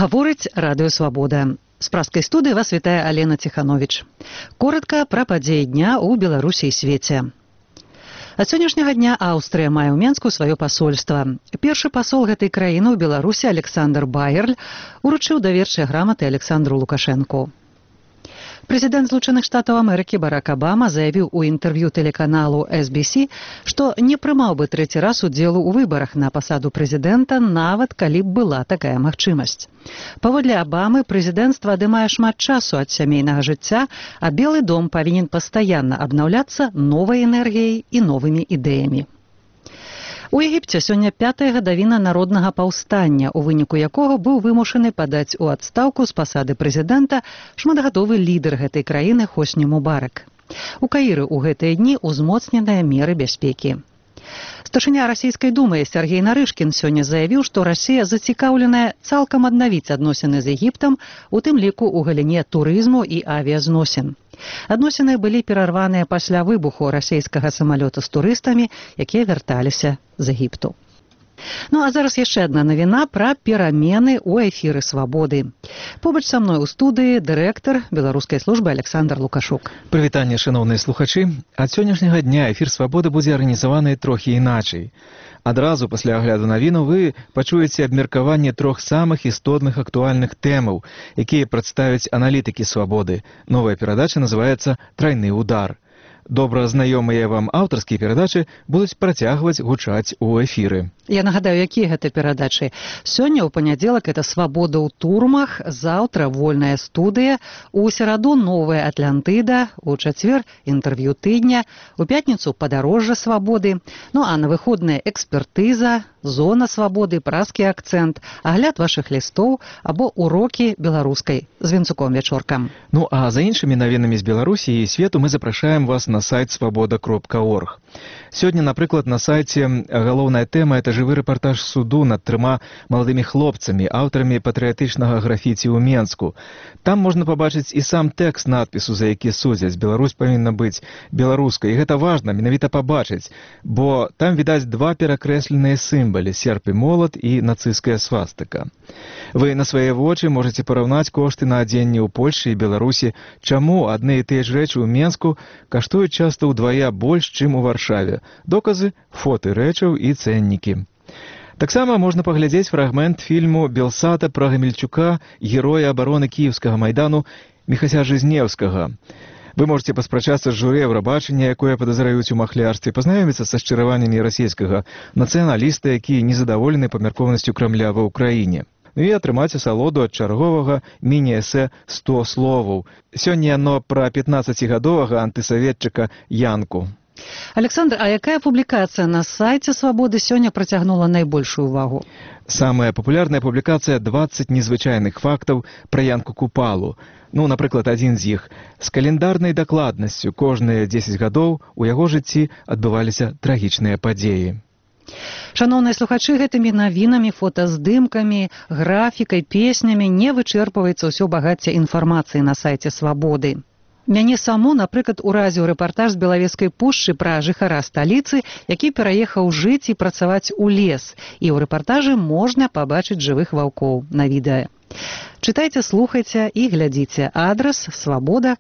Гаворыць радыё «Свабода». З праскай студыі вас вітае Алена Ціхановіч. Коротка пра падзеі дня ў Беларусі і свеце. Ад сённяшняга дня Аўстрыя мае ў Менску сваё пасольства. Першы пасол гэтай краіны ў Беларусі Александр Байерль уручыў даверчыя граматы Александру Лукашэнку. Прэзідэнт Злучаных Штатаў Амерыкі Барак Абама заявіў у інтэрв'ю тэлеканалу SBC, што не прымаў бы трэці раз удзелу ў выбарах на пасаду прэзідэнта, нават калі б была такая магчымасць. Паводле Абамы, прэзідэнцтва адымае шмат часу ад сямейнага жыцця, а Белы дом павінен пастаянна абнаўляцца новай энергіяй і новымі ідэямі. У Егіпце сёння 5-я гадавіна народнага паўстання, у выніку якога быў вымушаны падаць у адстаўку з пасады прэзідэнта шматгадовы лідар гэтай краіны Хосні Мубарак. У Каіры ў гэтыя дні узмоцненыя меры бяспекі. Старшыня расійскай думы Сергей Нарышкін сёння заявіў, што Расія зацікаўленая цалкам аднавіць адносіны з Егіптам, у тым ліку ў галіне турызму і авіязносін. Адносіны былі перарваныя пасля выбуху расійскага самалёта з турыстамі, якія вярталіся з Егіпту. Ну а зараз яшчэ адна навіна пра перамены ў эфіры «Свабоды». Побач са мной у студыі дырэктар беларускай службы Александр Лукашук. Прывітанне, шановныя слухачы. Ад сённяшняга дня эфір «Свабоды» будзе арганізаваны трохі іначай. Адразу пасля агляду навіну вы пачуеце абмеркаванне трох самых істотных актуальных тэмаў, якія прадставяць аналітыкі «Свабоды». Новая перадача называецца «Трайны удар». Добра знаёмыя вам аўтарскія перадачы будуць працягваць гучаць у эфіры. Я нагадаю, якія гэта перадачы. Сёння ў панядзелак это «Свабода ў турмах», заўтра «Вольная студыя», у сераду «Новая Атлантыда», у чацвер «Інтэрв'ю тыдня», у пятніцу «Падарожжа свабоды», ну а на выходныя «Экспертыза», «Зона свабоды», «Праскі акцэнт», агляд вашых лістоў або урокі беларускай з Вінцуком Вячоркам. Ну а за іншымі навінамі з Беларусі і свету мы запрашаем вас на сайт свабода.орг. Сёння, напрыклад, на сайце галоўная тэма – это жывы рэпартаж суду над 3 маладымі хлопцамі, аўтарамі патрыятычнага графіці ў Менску. Там можна пабачыць і сам тэкст надпісу, за які судзяць. Беларусь павінна быць беларускай. І гэта важна менавіта пабачыць, бо там відаць 2 перакрэсленыя сімвалы – серп і молат і нацысцкая свастыка. Вы на свае вочы можаце параўнаць кошты на адзенне ў Польшчы і Беларусі, чаму адны і тыя ж рэчы ў Менску каштуюць часта ўдвая больш, чым у Варшаве. Доказы, фоты рэчаў і цэннікі. Таксама можна паглядзець фрагмент фільму Белсата пра Гамельчука, героя абароны кіеўскага майдану Міхася Жизнеўскага. Вы можете паспрачацца з журы Еўрабачання, якое падазраюць у махлярстве, пазнаёміцца са шчыраваннямі расійскага нацыяналіста, які незадаволены памяркоўнасцю Крамля ва ўкраіне. Ну і атрымаць асалоду ад чарговага міні-эсэ «100 словаў». Сёння яно пра 15-гадовага антысаветчыка Янку. Александр, а якая публікацыя на сайце «Свабоды» сёння працягнула найбольшую увагу? Самая папулярная публікацыя 20 незвычайных фактаў пра Янку Купалу. Ну, напрыклад, адзін з іх. З календарнай дакладнасцю кожныя 10 гадоў у яго жыцці адбываліся трагічныя падзеі. Шановныя слухачы, гэтымі навінамі, фотаздымкамі, графікай, песнямі не вычэрпваецца ўсё багацце інфармацыі на сайце «Свабоды». Мяне саму, напрыклад, уразіў рэпартаж з Белавежскай пушчы пра жыхара сталіцы, які пераехаў жыць і працаваць у лес. І ў рэпартажы можна пабачыць жывых ваўкоў на відэа. Чытайце, слухайце і глядзіце. Адрас свабода.